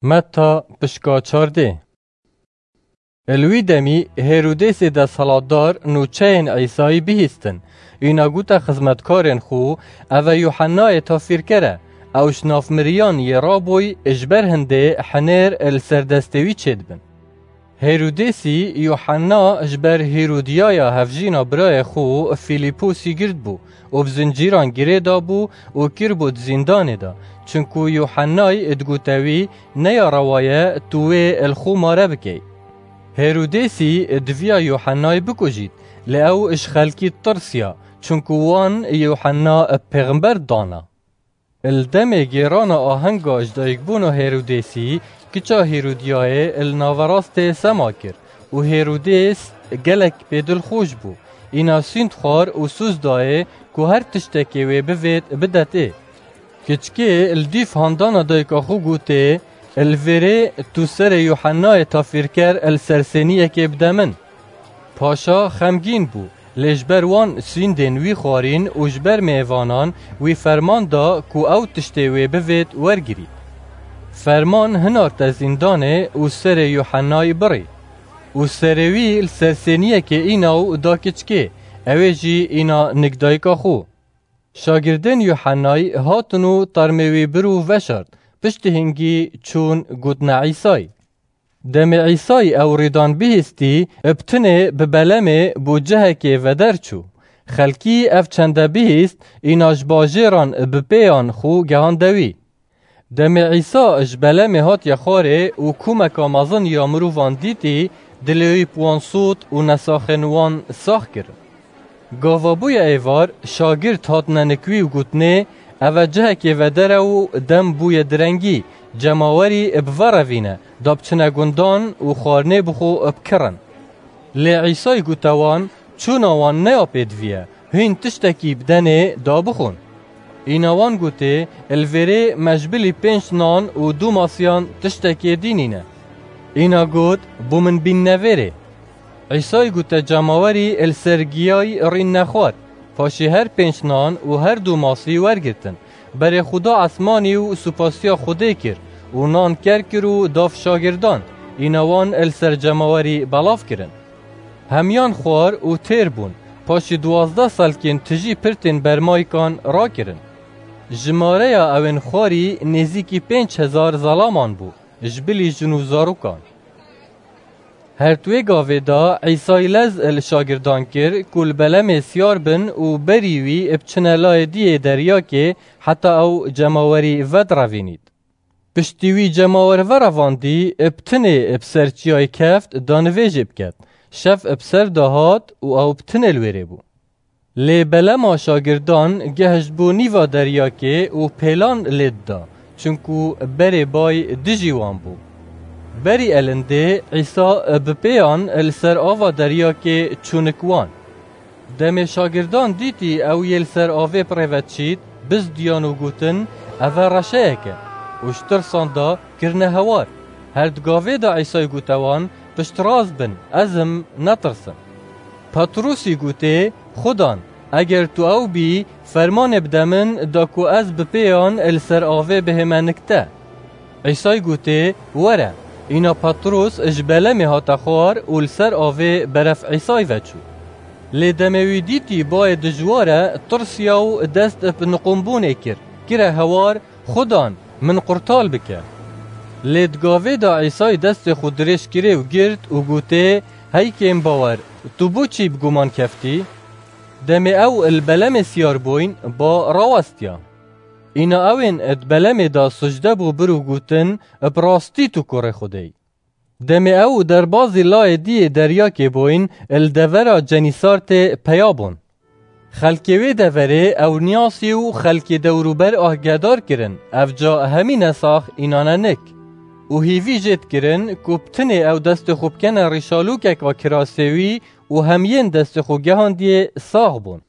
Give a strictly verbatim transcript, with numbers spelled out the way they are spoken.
Meta pişka çardê. Li wî demî Hêrodêsê desthilatdar nûçeyên Îsayî bihîstin. Îna gote xizmetkarên xwe, "Ev e Yuhennayê tafîrker e. Ew ji nav miriyan yê rabûy, ji ber hindê hinêr li ser destê wî çêdibin." Hêrodêsî Yuhenna ji ber Hêrodiyaya hevjîna birayê xwe Fîlîposî girtbû û bi zincîran girê dabû û kiribû di zîndanê de, çinku Yuhennay digote wî, "Neya rewa ye tu wê li xwe mare bikey." Hêrodêsî diviya Yuhennay bikujît, lê ew ji xelkî tirsiya, çinku wan Yuhenna pêxember dana. Li demê gêrana ahenga ji dayikbûna Hêrodêsî, kiça Hêrodiyayê li naverastê sema kir û Hêrodês gelek pê dilxweş bû. Îna sûnd xwar û soz dayê ku her tiştekê wê bivêt bidetê. Kiçikê li dîf handana dayika xwe gotê, "Li vêrê tu serê Yuhennayê tafîrker li ser sêniyekê bide min." Paşa xemgîn bû, lê ji ber wan sûndên wî xwarîn û ji ber mêvanan wî ferman da ku ew tiştê wê bivêt wergirît. Ferman hinarte zîndanê û serê Yuhennayî birî. Û serê wî li ser sêniyekê îna û da kiçikê, ew ê jî îna nik dayika xwe. Şagirdên Yuhennayî hatin û termê wî bir û veşart, piştî hingî çûn gotina Îsayî. Demê Îsayî ew rîdan bihîstî, bi tinê bi belemê bo cihekê veder çû. Xelkî ev çende bihîst, îna ji bajêran bi pêyan xwe gehande wî. Demê Îsa ji belemê hatiye xwarê û komeka mezin ya mirovan dîtî, dilê wî bi wan sot û nesaxên wan sax kir. Gava bûye êvar, şagird hatine nik wî û gotinê, "Ev e cihekê vedere û dem bûye direngî, cemawerî bi ve re vîne, da biçine gundan û xwarinê bi xwe bikirin." Lê Îsayî gote wan, "Çûna wan ne ya pêdivî ye, hûn tiştekî bidenê da bixwin." Îna wan gotê, "Li vêrê me ji bilî pênc nan û du masiyan tiştekê dî nîne." Îna got, "Bo min bînne vêrê." Îsayî gote cemawerî, "Li ser giyayî rînne xwar." Paşî her pênc nan û her du masî wergirtin, berê xwe da esmanî û supasiya Xwedê kir û nan ker kir û da şagirdan, îna wan li ser cemawerî belav kirin. Hemiyan xwar û têr bûn. Paşî duwazdeh selkên tijî pirtên bermaykan rakirin. Jimareya ewên xwarî nêzîkî pênc hezar zelaman bû, ji bilî jin û zarokan. Her di wê gavê de Îsayî lez li şagirdan kir ku li belemê siyar bin û berî wî biçine layê diyê deryakê heta ew cemawerî vedirevînît. Piştî wî cemawer verevandî, bi tinê bi ser çiyayê keft, da nivêjê biket. Şev bi ser de hat û ew bi tinê li wêrê bû. Lê belema şagirdan gehişt bo nîva deryakê û pêlan lê dida, çinku berê bay dijî wan bû. Berî elindê Îsa bi pêyan li ser ava deryakê çû nik wan. Demê şagirdan dîtî ew yê li ser avê bi rê ve diçît, bizdiyan û gotin, "Ev e reşeyek e." Û ji tirsan de kirine hewar. Her di gavê de Îsayî gote wan, "Piştrast bin, ez im, netirsin." Petrûsî gotê, "Xudan, eger tu ew bî, fermanê bide min da ku ez bi pêyan li ser avê bihême nik te." Îsayî gotê, "Were." Îna Petrûs ji belemê hate xwar û li ser avê beref Îsayî ve çû. Lê demê wî dîtî bayê dijwar e, tirsiya û dest bi niqûmbûnê kir, kire hewar, "Xudan, min qurtal bike." Lê di gavê de Îsayî destê xwe dirêj kirê û girt û gotê, "Hey kêmbawer, tu bo çî bi guman keftî?" Demê ew li belemê siyar bûyn, ba rawestiya. Îna ewên di belemê de sicde bû bir û gotin, "Bi rastî tu kurê Xwedê yî." Demê ew derbazî layê diyê deryakê bûyn, li devera Cenîsartê peya bûn. Xelkê wê deverê ew niyasî û xelkê dewrûber agedar kirin, ev ca hemî nesax înan e nik. Û hîvî jê dikirin ku bi tinê ew destê xwe bikene rîşalûkeka kirasê wî û hemiyên destê xwe gehandiyê sax bûn.